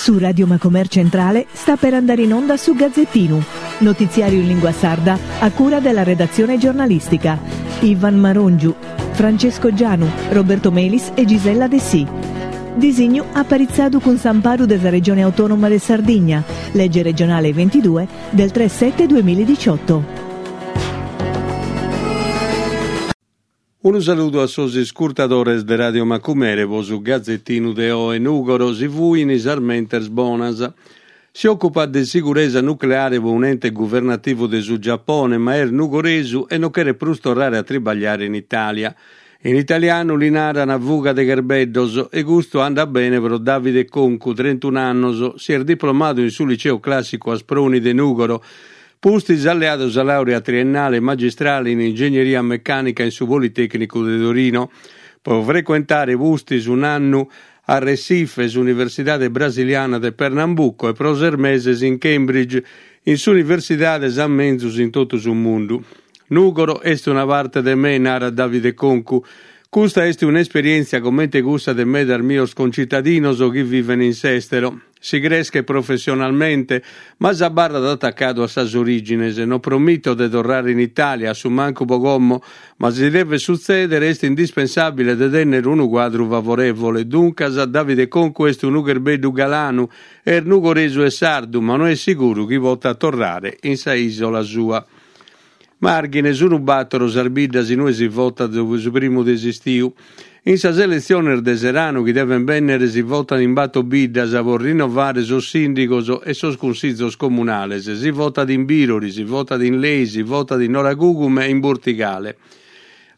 Su Radio Macomer Centrale sta per andare in onda su Gazzettinu, notiziario in lingua sarda a cura della redazione giornalistica. Ivan Marongiu, Francesco Gianu, Roberto Melis e Gisella Dessì. Disignu aparitzadu cun s'amparu de sa Regione Autonoma de Sardigna, lege regionale 22 del 3 7 2018. Unu saludu a sos iscurtadores de Radio Macumere po su Gazettinu de oe Nùgoro si fuin sas mentes bonas. Si òcupat de siguresa nucleare po un'ente guvernativu de su Giapone ma est nugoresu e no cheret prus torrare a tribagliare in Itàlia. In italianu li naran fuga de cherbeddos e custu andat bene pro Davide Concu, trentun'annos, si est diplomadu in su Liceu Clàssicu Asproni de Nùgoro Pustis at leadu sa làurea triennale e magistrale in Ingegneria Mecànica in su Politècnicu de Torino, pro frecuentare pustis un'annu a Recife, s'Universidade brasiliana de Pernambuco e pro ses meses in Cambridge, in s'universidade sa menzus in totu su mundu. Nùgoro est una parte de me, narat Davide Concu. Custa est un'esperièntzia comente cussa de medas mios concitadinos chi viven in s'èstero. Si creschet professionalmente, ma s'abarrat atacadu a sas orìgines. No promito de torrare in Itàlia, a su mancu pro como, ma si devet sutzèdere est indispensàbile de tènnere unu cuadru favorèvole. Duncas, Davide Concu est unu cherbeddu galanu, est nugoresu e sardu, ma no est siguru chi potat torrare in sa ìsola sua. Màrghine, Sunu bàtoro sas biddas in ue si votat su primu de s'istiu. In sas eletziones de s'eranu chi devent bènnere si votat in bator biddas pro rinnovare sos sìndigos e sos cunsizos comunales. Si votat in Bìrori, si votat in Lei, si votat in Noragugume e in Burtigale.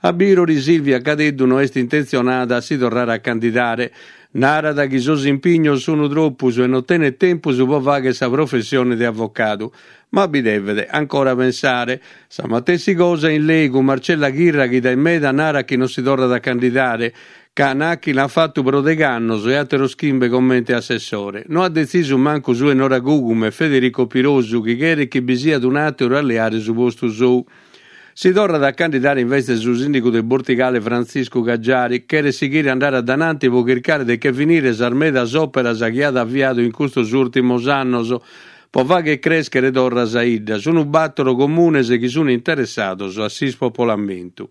A Bìrori Silvia Cadeddu no est intentzionada a si torrare a candidare. Narat chi sos impignos sunu tropus e no tenet tempus pro fàghere sa professione de avocadu. Ma bi devet ancora pensare. Sa matessi cosa in Lei cun Marcella Chirra chi dae meda narat chi non si torrat a candidare, ca nachi l'at fatu pro degh'annos e àteros chimbe comente assessore. No at detzisu mancu su 'e Noragugume Federico Pirosu chi cheret chi bi siat un'àteru a leare su postu sou. Si torrat a candidare invece su sìndigu de Bortigale Frantziscu Caggiari, cheret sighire a andare a dananti pro chircare de che finire sas medas òperas chi at aviadu in custos ùrtimos annos pro fàghere crèschere torra sa 'idda. Sunt bàtoro comunes chi sunt interessados a s'ispopolamentu.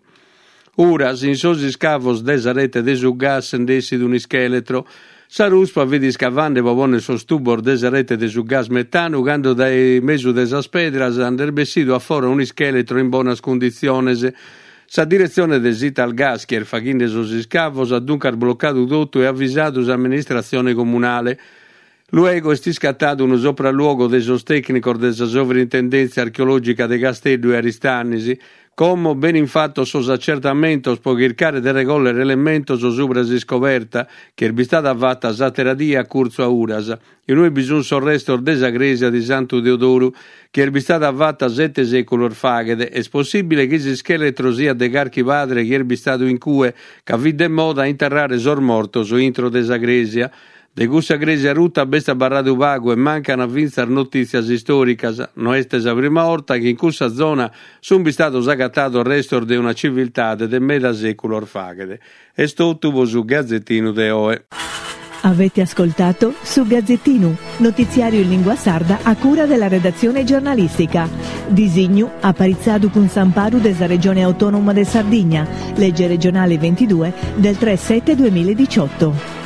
Uras, in sos iscavos de sa rete de su gas nd'essit un'ischèletro. Sa ruspa fit iscavande pro pònnere sos tubos de sa rete de su gas metanu cando dae mesu de sas pedras nd'est bessidu a fora un'ischèletro in bonas cunditziones. Sa diretzione de s'Italgas chi est faghende sos iscavos at duncas blocadu totu e avisadu s'amministratzione comunale. Luego est iscatadu unu sopralluogo de sos tècnicos de sa Sovrintendèntzia Archeològica de Casteddu e Aristanis. Como benin fatos sos acertamentos pro chircare de regòllere elementos subra s'iscoberta, chi est bistada fata s'àtera die a curtzu a Uras, in ue bi sunt sos restos de sa crèsia de Santu Teodoru, chi est bistada fata sete sèculos faghet. Est possìbile chi s'ischèletro siat de carchi padre chi est bistadu in cue, ca fit de moda a interrare sos mortos intro de sa crèsia. De cussa crèsia ruta b'est abarradu pagu e mancant fintzas notìtzias istòricas. No est sa prima 'orta chi in cussa zona sunt bistados agatados restos de una civiltade de meda sèculos faghet. Est totu pro su Gazetinu de oe. Avete ascoltato Su Gazzettinu, notiziario in lingua sarda a cura della redazione giornalistica. Disignu aparitzadu cun s'amparu de sa Regione Autonoma de Sardigna, legge regionale 22 del 3 7 2018.